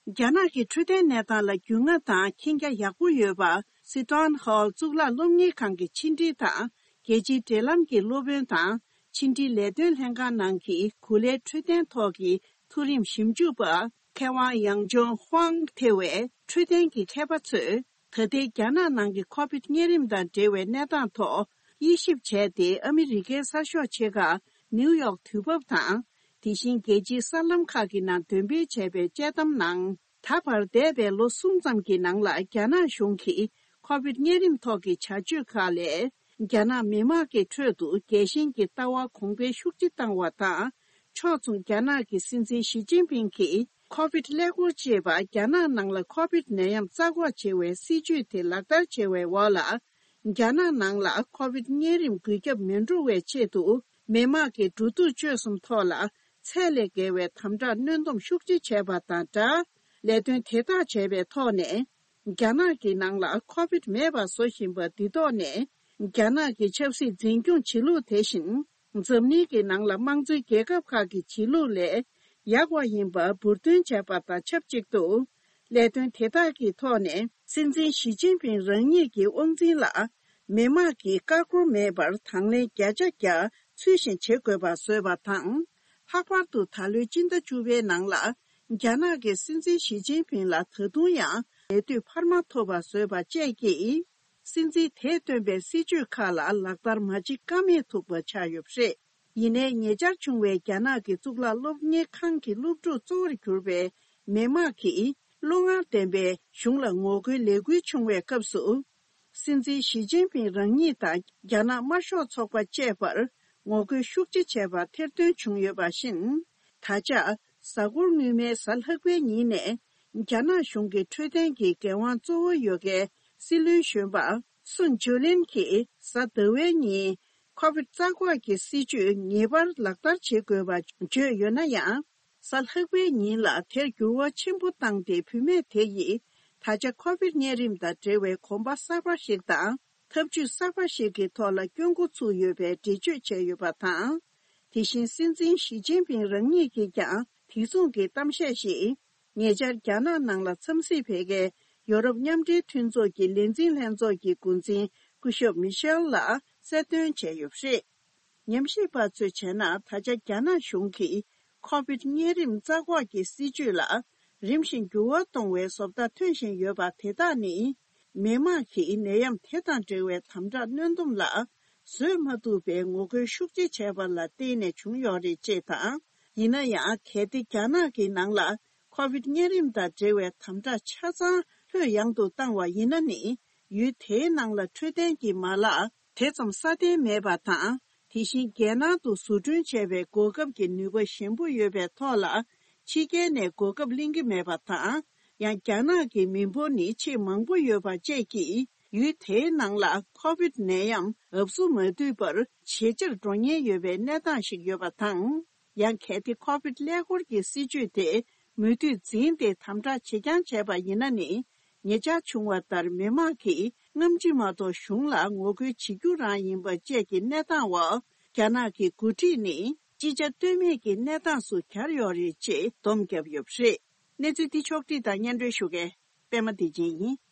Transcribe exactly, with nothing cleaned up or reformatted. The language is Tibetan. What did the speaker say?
རྒྱ་ནག་གི་འཕྲོད་བསྟེན་གནས་སྟངས་ལ་རྒྱུས་མངའ་དང་མཁྱེན་རྒྱ་ཡག་པོ་ཡོད་པ། སི་ཏོན་ཧོལ་གཙུག་ལག་སློབ་གཉེར་ཁང་གི་ཕྱི་འབྲེལ་དང་རྒྱལ་སྤྱིའི་འབྲེལ་ལམ་གྱི་སློབ་དཔོན་དང་། ཕྱི་འབྲེལ་ལས་དོན་ལྷན་ཁང་ནང་གི་གོ་ལའི་འཕྲོད་བསྟེན་ཐོག་གི་མཐོ་རིམ་ཞིབ་འཇུག་པ་མཁས་དབང་ཡང་ཅོང་ཧུའང་ཐེ་བས། འཕྲོད་བསྟེན་གྱི་མཁས་པ་ཚོས་ད་ལྟའི་རྒྱ་ནག་ནང་གི་ཁོ་བིད་གཉན་རིམས་དང་འབྲེལ་བའི་གནས་སྟངས་ཐོག་དབྱེ་ཞིབ་བྱས་ཏེ། ཨ་མི་རི་ཀའི་གསར་ཤོག་ཆེ་ཁག་ནིའུ་ཡོག་དུས་བབ་དང་། དེ་བཞིན་རྒྱལ་སྤྱིའི་གསར་ལམ་ཁག་གི་ནང་འདོན་སྤེལ་བྱས་པའི་དཔྱད་གཏམ་ནང་། ད་བར་འདས་པའི་ལོ་གསུམ་ཙམ་གྱི་ནང་ལ་རྒྱ་ནག་གཞུང་གིས་ཁོ་བིད་གཉན་རིམས་ཐོག་གི་བྱ་སྤྱོད་ཁག་ལས། རྒྱ་ནག་མི་དམངས་ཀྱི་ཁྲོད་དུ་རྒྱལ་ཞེན་གྱི་ལྟ་བ་གོང་འཕེལ་ཤུགས་ཆེ་བཏང་བ་དང་། ཕྱོགས་མཚུངས་རྒྱ་ནག་གི་སྲིད་འཛིན་ཞི་ཅིན་ཕིང་གིས་ཁོ་བིད་ཀླད་ཀོར་ཅེས་པ། རྒྱ་ནག་ནང་ལ་ཁོ་བིད་ནད་ཡམས་རྩ་འགོག་བྱེད་པའི་སྲིད་ཇུས་དེ་ལག་བསྟར་བྱེད་པའི་འོག་ལ། རྒྱ་ནག་ནང་ལ་ཁོ་བིད་གཉན་རིམས་འགོས་ཁྱབ་མི་འགྲོ་བའི་ཆེད་དུ། མི་དམངས་ཀྱི་འགྲོ་འདུག་སྤྱོད་གསུམ་ཐོག་ལ་ཚད་ལས་བརྒལ་བའི་དམ་དྲག་གནོན་སྡོམ་ཤུགས་ཆེ་བྱས་པ་དང་སྦྲགས། ལས་དོན་དེ་དག་བྱས་པའི་ཐོག་ནས། རྒྱ་ནག་གི་ནང་ལ་ཁོ་བིད་མེད་པ་བཟོ་བཞིན་པ་འདི་ཐོག་ནས། རྒྱ་ནག་གི་ཆབ་སྲིད་འཛིན་སྐྱོང་བྱེད་ལུགས་དེ་བཞིན། འཛམ་གླིང་གི་ནང་ལ་དམངས་གཙོའི་རྒྱལ་ཁབ་ཁག་གི་བྱེད་ལུགས་ལས་ཡག་པ་ཡིན་པ་འབུར་འདོན་བྱས་པ་དང་ཆབས་ཅིག་ཏུ། ལས་དོན་དེ་དག་གི་ཐོག་ནས་སྲིད་འཛིན་ཞི་ཅིན་ཕིང་རང་ཉིད་ཀྱི་དབང་འཛིན་ལ་མི་དམངས་ཀྱིས་ཀ་ཀོར་མེད་པར་དང་ལེན་བརྒྱ་ཆ་བརྒྱ་ཚུལ་བཞིན་བྱེད་དགོས་པ་བཟོས་པ་དང་། ལྷག་པར་དུ་ད་ལོའི་སྤྱི་ཟླ་བཅུ་པའི་ནང་ལ་རྒྱ་ནག་གི་སྲིད་འཛིན་ཞི་ཅིན་ཕིང་ལ་ད་དུང་ཡང་ལས་དུས་འཕར་མ་ཐོབ་པ་བཟོས་པ་བཅས་ཀྱིས། སྲིད་འཛིན་དེས་བཏོན་པའི་སྲིད་ཇུས་ཁག་ལ་ལག་བསྟར་མ་བྱེད་ཀ་མེད་ཐུག་པ་ཆགས་ཡོད་པ་རེད། ཡིན་ནའི་ཉེ་ཆར་བྱུང་བའི་རྒྱ་ནག་གི་གཙུག་ལག་སློབ་གཉེར་ཁང་གི་སློབ་ཕྲུག་གཙོ་བོར་གྱུར་པའི་མི་དམངས་ཀྱིས་བློ་ངར་ལྡན་པའི་གཞུང་ལ་ངོ་རྒོལ་ལས་འགུལ་བྱུང་བའི་སྐབས་སུ། སྲིད་འཛིན་ཞི་ཅིན་ཕིང་རང་ཉིད་དང་རྒྱ་ནག་དམར་ཤོག་ཚོགས་པ་བཅས་པར་ངོ་རྒོལ་ཤུགས་ཆེ་བྱས་པ་ཐེར་འདོན་བྱུང་ཡོད་པ་བཞིན། ད་ཆ་གཟའ་འཁོར་སྔོན་མའི་གཟའ་ལྷག་པའི་ཉིན་ནས། རྒྱ་ནག་གཞུང་གི་འཕྲོད་བསྟེན་གྱི་འགན་དབང་གཙོ་བོ་ཡོད་མཁན་སྲིད་བློན་གཞོན་པ་སུན་ཇོ་ལིན་གྱིས་གཟའ་ཟླ་བའི་ཉིན་ཁོ་བིད་རྩ་འགོག་གི་སྲིད་ཇུས་ངེས་པར་ལག་བསྟར་བྱེད་དགོས་པ་བརྗོད་ཡོད་ན་ཡང་། གཟའ་ལྷག་པའི་ཉིན་ལ་དེར་འགྱུར་བ་ཆེན་པོ་བཏང་སྟེ། བུད་མེད་དེ་ཡིས་ད་ཆ་ཁོ་བིད་གཉན་རིམས་དང་འབྲེལ་བའི་གོམ་པ་གསར་པ་ཞིག་དང་། ཐབས་ཇུས་གསར་པ་ཞིག་གི་ཐོག་ལ་སྐྱོད་འགོ་ཚུགས་ཡོད་པའི་འགྲེལ་བརྗོད་བྱས་ཡོད་པ་དང་། དེ་བཞིན་སྲིད་འཛིན་ཞི་ཅིན་ཕིང་རང་ཉིད་ཀྱིས་ཀྱང་དེ་མཚུངས་ཀྱི་གཏམ་བཤད་ཞིག་ཉེ་ཆར་རྒྱ་ནག་ནང་ལ་འཚམས་གཟིགས་ཕེབས་མཁན་ཡོ་རོབ་མཉམ་འབྲེལ་མཐུན་ཚོགས་ཀྱི་ལས་འཛིན་ལྷན་ཚོགས་ཀྱི་འགོ་འཛིན་སྐུ་ཞབས་མི་ཤེལ་ལ་གསལ་སྟོན་བྱས་ཡོད་པ་རེད། ཉམས་ཞིབ་པ་ཚོས་བྱས་ན། ད་ཆ་རྒྱ་ནག་གཞུང་གིས་ཁོ་བིད་གཉན་རིམས་རྩ་འགོག་གི་སྲིད་ཇུས་ལ་རིམ་བཞིན་འགྱུར་བ་གཏོང་བའི་བཟོ་ལྟ་ཐོན་བཞིན་ཡོད་པ་དེ་དག་ནི། མི་དམངས་ཀྱིས་ནད་ཡམས་དེ་དང་འབྲེལ་བའི་དམ་དྲག་གནོན་སྡོམ་ལ་བཟོད་མ་ཐུབ་པའི་ངོ་རྒོལ་ཤུགས་ཆེ་བྱས་པ་ལ་བརྟེན་ནས་བྱུང་ཡོད་རེད་ཅེས་དང་། ཡིན་ན་ཡང་། གལ་ཏེ་རྒྱ་ནག་གི་ནང་ལ་ཁོ་བིད་གཉན་རིམས་དང་འབྲེལ་བའི་དམ་དྲག་ཆ་ཚང་ལྷོད་ཡངས་དུ་བཏང་བ་ཡིན་ན་ནི། ཡུལ་དེའི་ནང་ལ་འཕྲོད་བསྟེན་གྱི་མ་ལག་དེ་ཙམ་སྲ་བརྟན་མེད་པ་དང་། དེ་བཞིན་རྒྱལ་ནང་དུ་བཟོ་སྐྲུན་བྱས་པའི་གོ་སྐབས་ཀྱི་ནུས་པ་ཞན་པོ་ཡོད་པའི་ཐོག་ལ། ཕྱི་རྒྱལ་ནས་གོ་སྐབས་ལེན་གྱི་མེད་པ་དང་། ཡང་རྒྱ་ནག་གི་མི་འབོར་ནི་ཆེས་མང་པོ་ཡོད་པ་བཅས་ཀྱིས། ཡུལ་དེའི་ནང་ལ་ཁོ་བིད་ནད་ཡམས་འབབ་སུ་མ་འདུས་པར་ཇེ་ཆེར་འགྲོ་ཉེན་ཡོད་པའི་གནས་སྟངས་ཤིག་ཡོད་པ་དང་། ཡང་། གལ་ཏེ་ཁོ་བིད་ཀླད་ཀོར་གྱི་སྲིད་ཇུས་དེ་མུ་མཐུད་འཛིན་ཏེ། དམ་དྲག་བྱེད་རྐྱང་བྱས་པ་ཡིན་ན་ནི། ཉེ་ཆར་བྱུང་བ་ལྟར། མི་དམངས་ཀྱིས་སྔ་ཕྱི་མ་གཏོགས་གཞུང་ལ་ངོ་རྒོལ་བྱེད་རྒྱུ་རང་ཡིན་པ་བཅས་ཀྱི་གནས་སྟངས་འོག་རྒྱ་ནག་གི་འགོ་ཁྲིད་ནི་ཅི་བྱ་གཏོལ་མེད་ཀྱི་གནས་སྟངས་སུ་གྱར་ཡོད་རེད་ཅེས་སྡོམ་བརྒྱབ་ཡོད་པ་རེད། གནས་ཚུལ་འདི་ཕྱོགས་བསྒྲིགས་དང་སྙན་སྒྲོན་ཞུ་མཁན་པད་མ་བདེ་ཆེན་ཡིན།